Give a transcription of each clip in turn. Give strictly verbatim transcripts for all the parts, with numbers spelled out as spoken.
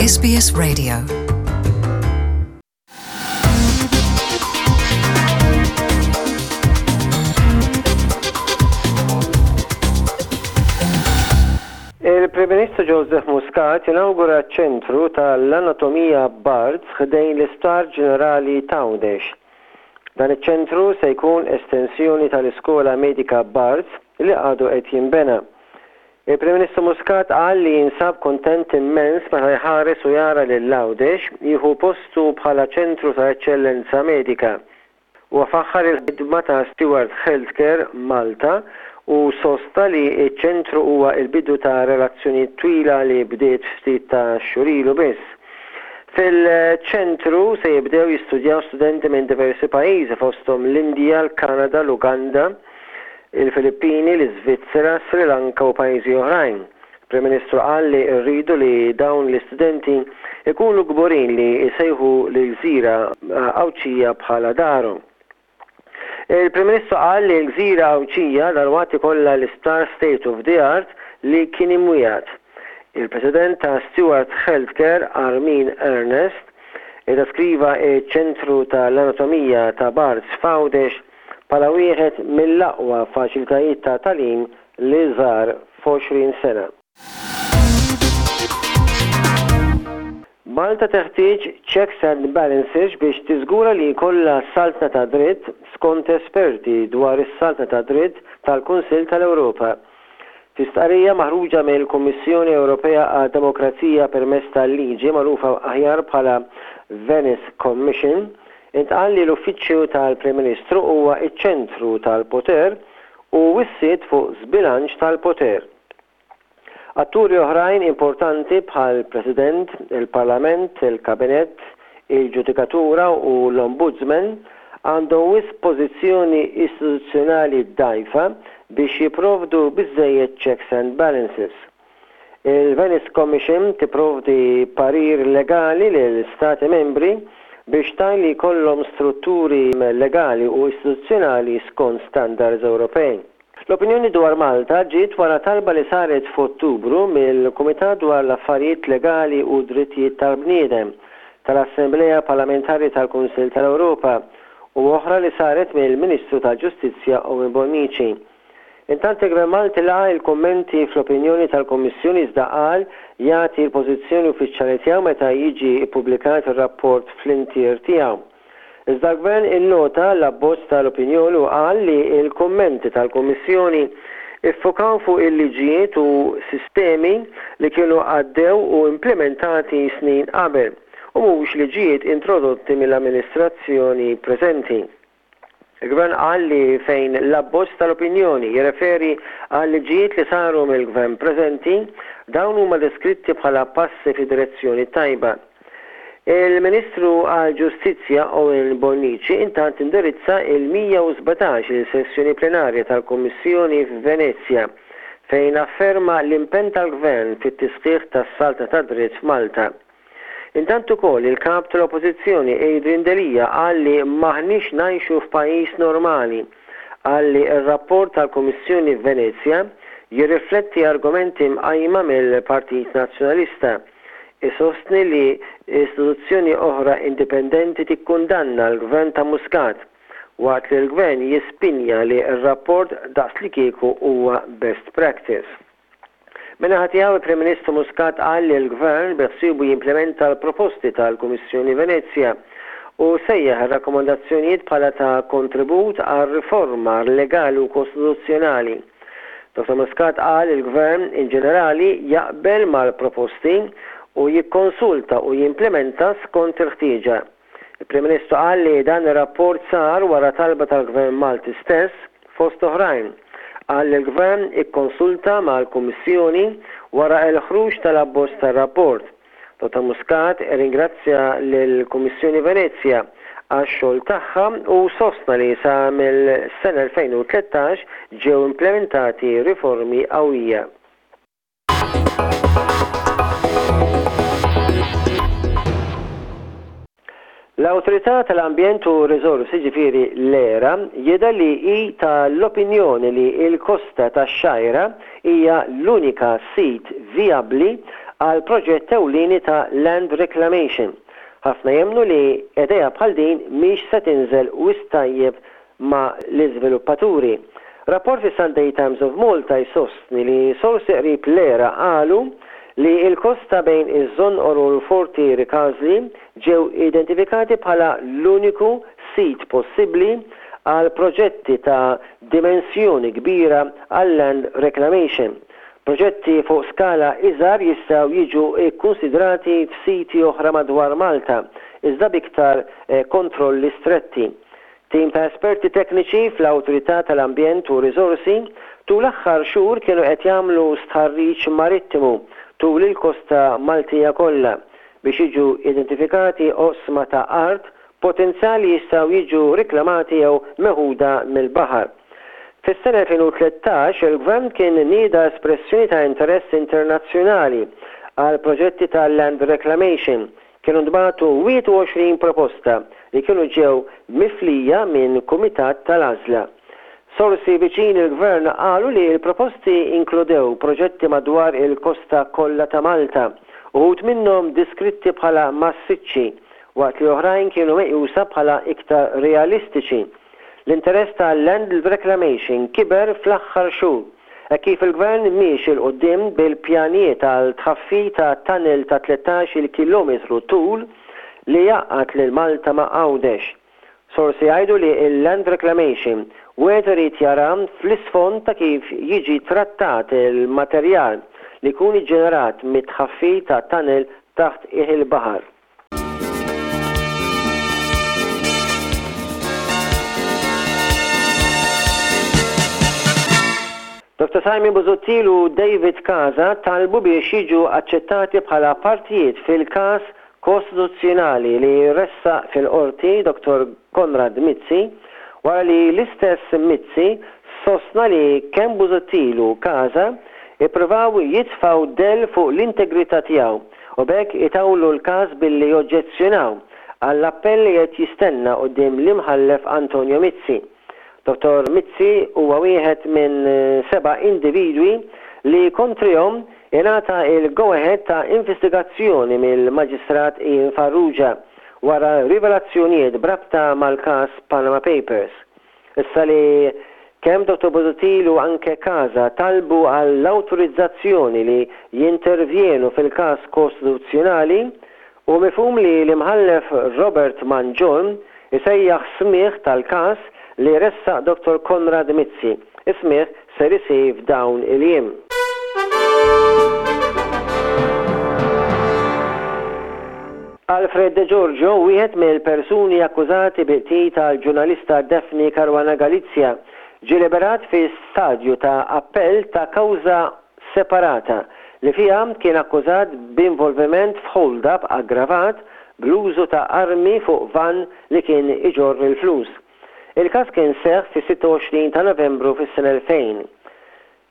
S B S Radio. Il-Prim Ministru Joseph Muscat inaugura ċentru tal-Anatomija Barts ħdejn l-Isptar Ġenerali t'Għawdex. Dan iċ-ċentru se jkun estensjoni tal-Iskola Medika Barts li għadu qed jinbena. Il-Prim Ministru Muscat qal li jinsab kontent immens meta jħares u jara lil Għawdex jieħu postu bħala ċentru ta' eċċellenza medika. U faħħar il-ħidma ta' Steward Healthcare Malta u sostna li ċ-ċentru huwa il-bidu ta' relazzjoni twila li bdiet ftit ta' xhur ilu biss. Fil-ċentru se jibdew jistudjaw studenti minn diversi pajjiżi, fosthom l-Indja, l-Kanada, l-Uganda, il-Filippini, l-Iżvizzera, Sri Lanka u pajjiżi oħrajn. Prim Ministru qal li rridu li dawn l-istudenti ikunu kburin li jsejħu l-gżira Għawdxija bħala darhom. Il-Prim Ministru qal li l-gżira Għawdxija dalwaqt ikollha l-isptar state of the art li kien imwiegħed. Il-President ta' Steward Healthcare, Armin Ernest, iddeskriva ċ-ċentru tal-anatomija ta' Barts f'Għawdex bħala wieħed mill-aqwa faċilitajiet ta' tagħlim li żar f'għoxrin sena. Malta teħtieġ checks and balances biex tiżgura li jkollha saltna ta' dritt, skont esperti dwar is-saltna ta' dritt tal-Kunsill tal-Ewropa. Fi stqarrija maħruġa mill-Kummissjoni Ewropea għad-Demokrazija permezz tal-Liġi, magħrufa aħjar bħala Venice Commission, intqal li l-Uffiċċju tal-Prim Ministru huwa ċ-ċentru tal-poter u wissiet fuq żbilanċ tal-poter. Atturi oħrajn importanti bħal President, il-Parlament, il-Kabinett, il-Ġudikatura u l-Ombudsman għandhom wisq pożizzjoni istituzzjonali dgħajfa biex jipprovdu biżżejjed checks and balances. Il-Venice Commission tipprovdi parir legali lil stati membri biex tgħin li jkollhom strutturi legali u istituzzjonali skont standards Ewropej. L-opinjoni dwar Malta ġiet wara talba li saret f'Ottubru mill-Kumitat dwar l-Affarijiet Legali u Drittijiet tal-Bniedem tal-Assemblea Parlamentari tal-Kunsill tal-Ewropa u oħra li saret mill-Ministru tal-Ġustizzja Owen Bonnici. Intant, il-Gvern Malti laqa' il-kummenti fl-opinjoni tal-Kummissjoni, iżda qal jagħti l-pożizzjoni uffiċjali tiegħu meta jiġi ppubblikat ir-rapport fl-intier tiegħu. Iżda l-Gvern innota l-abbozz tal-opinjoni u qal li l-kummenti tal-Kummissjoni iffokaw fuq il-liġijiet u sistemi li kienu għaddew u implementati snin qabel u mhux liġijiet introdotti mill-amministrazzjoni preżenti. Il-Gvern qal li fejn l-abbozz tal-opinjoni jirreferi għal liġijiet li saru mill-Gvern preżenti, dawn huma deskritti bħala passi fi direzzjoni tajba. Il-Ministru għal-Ġustizzja Owen Bonnici intant indirizza il-mija u sbatax il-sessjoni plenarja tal-Kummissjoni f'Venezja, fejn afferma l-impenn tal-Gvern fit-tisħiħ tas-saltna ta' dritt f'Malta. Intant ukoll il-kap tal-Oppożizzjoni Adrian Delia qal li maħniex ngħixu f'pajjiż normali. Qal li r-rapport tal-Kummissjoni Venezja jirrifletti argumenti mqajma mill-Partit Nazzjonalista. Isostni li istituzzjoni oħra indipendenti tikkundanna l-Gvern ta' Muscat, waqt li l-Gvern jispinja li r-rapport daqs li kieku huwa best practice. Min-naħa tiegħu, il-Prim Ministru Muscat qal li l-Gvern beħsiebu jimplementa l-proposti tal-Kummissjoni Venezja u sejjaħ ir-rakkomandazzjonijiet bħala ta' kontribut għal riforma legali u kostituzzjonali. Doktor Muscat qal il-Gvern in ġenerali jaqbel mal-proposti u jikkonsulta u jimplementa skont il-ħtieġa. Il-Prim Ministru qal li dan ir-rapport sar wara talba tal-Gvern Malti stess, fost oħrajn. Qal li l-Gvern ikkonsulta mal-Kummissjoni wara l-ħruġ tal-abbozz tar-rapport. Dottor Muscat ringrazzja lill-Kummissjoni Venezja għax-xogħol tagħha u sostna li sa mill-sena elfejn u tlettax ġew implementati riformi qawwija. L-Awtorità tal-Ambjent u Riżorsi, ġifieri l-ERA, jidher li hi tal-opinjoni li l-Kosta tax-Xgħajra hija l-unika sit vijabbli għal proġett ewlieni ta' land reclamation. Ħafna jemmnu li idea bħal din mhix se tinżel wisq tajjeb ma' l-iżviluppaturi. Rapport fi Sunday Times of Malta jsostni li sorsi qrib l-ERA qalu li il-kosta bejn iż-Żonqor u l-Forti Ricasoli ġew identifikati bħala l-uniku sit possibbli għal proġetti ta' dimensjoni kbira għal land reclamation. Proġetti fuq skala iżgħar jistgħu jiġu kkunsidrati f'siti oħra madwar Malta, iżda b'iktar eh, kontrolli stretti. Tim ta' esperti tekniċi fl-Awtorità tal-Ambjent u Riżorsi tul l-aħħar xhur kienu qed jagħmlu stħarriġ marittimu tul il-kosta Maltija kollha biex jiġu identifikati oqsma ta' art potenzjali jistgħu jiġu riklamati jew meħuda mill-baħar. Fis-sena elfejn u tlettax il-Gvern kien nieda espressjoni ta' interess internazzjonali għal proġetti ta' land reclamation. Kienu ntbagħtu wieħed u għoxrin proposta li kienu ġew miflija minn kumitat tal-għażla. Sorsi viċin il-Gvern qalu li l-proposti inkludew proġetti madwar il-kosta kollha ta' Malta, uħud minnhom diskritti bħala massiċċi, waqt li oħrajn kienu meqjusa bħala iktar realistiċi. L-interess ta' land reclamation kiber fl-aħħar xhur e kif il-Gvern miexi 'l quddiem bil-pjanijiet għal tħaffir ta' tunnel ta' tlettax-il kilometru tul li jgħaqqad lil Malta ma' Għawdex. Sorsi jgħidu li il-land reclamation wieħed irid jara fl-isfond ta' kif jiġi trattat il-materjal li jkun iġġenerat mit-tħaffir ta' tunnel taħt il-baħar. Doctor Simon Busuttil u David Casa talbu biex jiġu aċċettati bħala partijiet fil-każ kostituzzjonali li ressaq fil-qorti Doctor Konrad Mizzi, wara li l-istess Mizzi sostna li kemm Busuttil u Casa ippruvaw jitfgħu dell fuq l-integrità tiegħu u b'hekk itawlu l-każ billi joġġezzjonaw għall-appell li qed jistenna quddiem l-imħallef Antonio Mizzi. Doctor Mizzi huwa wieħed minn seba' individwi li kontrihom ingħata il-go-ahead ta' investigazzjoni mill-Maġistrat Ian Farrugia wara rivelazzjonijiet b'rabta mal-każ Panama Papers. Issa li kemm Doctor Busuttil u anke Casa talbu għall-awtorizzazzjoni li jintervjenu fil-każ kostituzzjonali, u mifhum li l-imħallef Robert Mangion isejjaħ smigħ tal-każ li ressaq Doctor Konrad Mizzi. Is-smigħ ser isir f'dawn il-jiem. Alfred De Giorgio, wieħed mill-persuni akkużati bil-qtil tal-ġurnalista Daphne Caruana Galizia, ġie liberat fi stadju ta' appell ta' kawża separata li fiha kien akkużat b'involviment f'hold-up aggravat bl-użu ta' armi fuq van li kien iġorr il-flus. Il-każ kien seħ fis-sitta u għoxrin ta' Novembru fis-sena elfejn.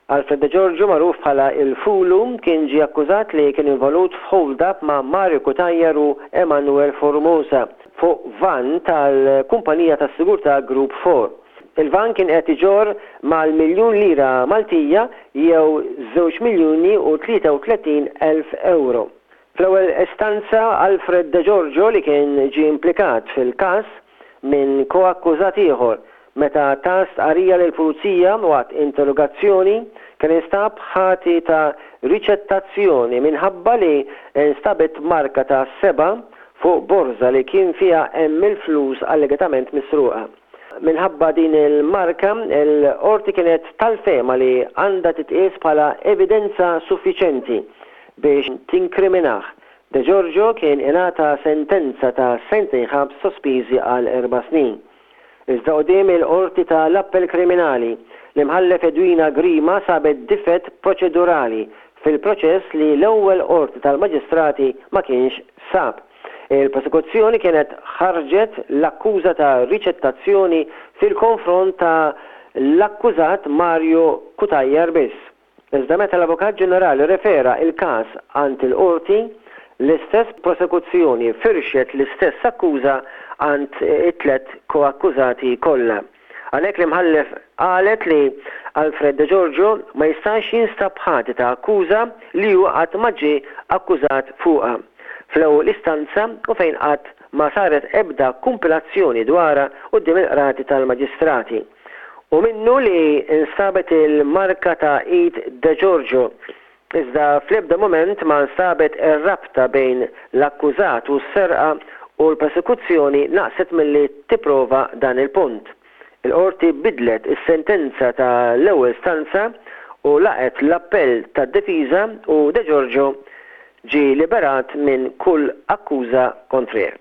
Alfred De Giorgio, magħruf bħala il-Fulu, kien ġie akkużat li kien involut f'hold-up ma' Mario Cutajar u Emanuel Formosa fuq van tal-kumpanija tas-sigurtà Group four. Il-van kien qed iġorr mal-miljun lira Maltija jew żewġ miljuni u tlieta u tletin elf euro. Fl-ewwel istanza, Alfred De Giorgio, li kien ġie implikat fil-każ minn koakkużat ieħor meta ta stqarrija lill-pulizija waqt interrogazzjoni, kien instab ħati ta' riċettazzjoni minħabba li instabet marka ta' seba' fuq borza li kien fiha hemm il-flus allegatament misruqa. Minħabba din il-marka, il-qorti kienet tal-fehma li għandha titqies bħala evidenza suffiċenti biex tinkriminah. De Giorgio kien ingħata sentenza ta' sentejn ħabs sospiżi għal erba' snin. Iżda quddiem il-qorti tal-appell kriminali, l-imħallef Edwina Grima sabet difett proċedurali fil-proċess li l-ewwel qorti tal-maġistrati ma kienx sab. Il-prosekuzzjoni kienet ħarġet l-akkuża ta' riċettazzjoni fil-konfront ta' l-akkużat Mario Cutajar biss. Iżda meta l-Avukat Ġenerali refera il-każ għand il-qorti, l-istess prosekuzzjoni firxet l-istess akkuża għand it-tlet koakkużati kollha. Għalhekk l-imħallef qalet li Alfred De Giorgio ma jistax jinstab ħati ta' akkuża li hu qatt ma ġie akkużat fuqha fl-ewwel istanza u fejn qatt ma saret ebda kumpilazzjoni dwarha quddiem il-qrati tal-maġistrati. U minnu li instabet il-marka ta' id De Giorgio, iżda fl-ebda mument ma nstabet ir-rabta bejn l-akkużat u s-serqa u l-prosekuzzjoni naqset milli tipprova dan il-punt. Il-qorti bidlet is-sentenza ta' l-ewwel istanza u laqgħet l-appell tad-difiża u De Giorgio ġie liberat minn kull akkuża kontrih.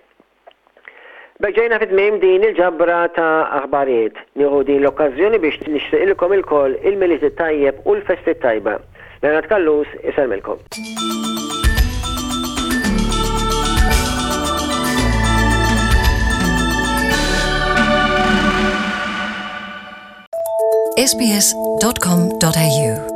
B'hekk ġejna fi tmiem din il-ġabra ta' aħbarijiet. Nieħu din l-okkażjoni biex nixtieqilkom ilkoll il-Milied it-tajjeb u l-festi t-tajba. Leonard Callus isellmilkom. S B S dot com dot A U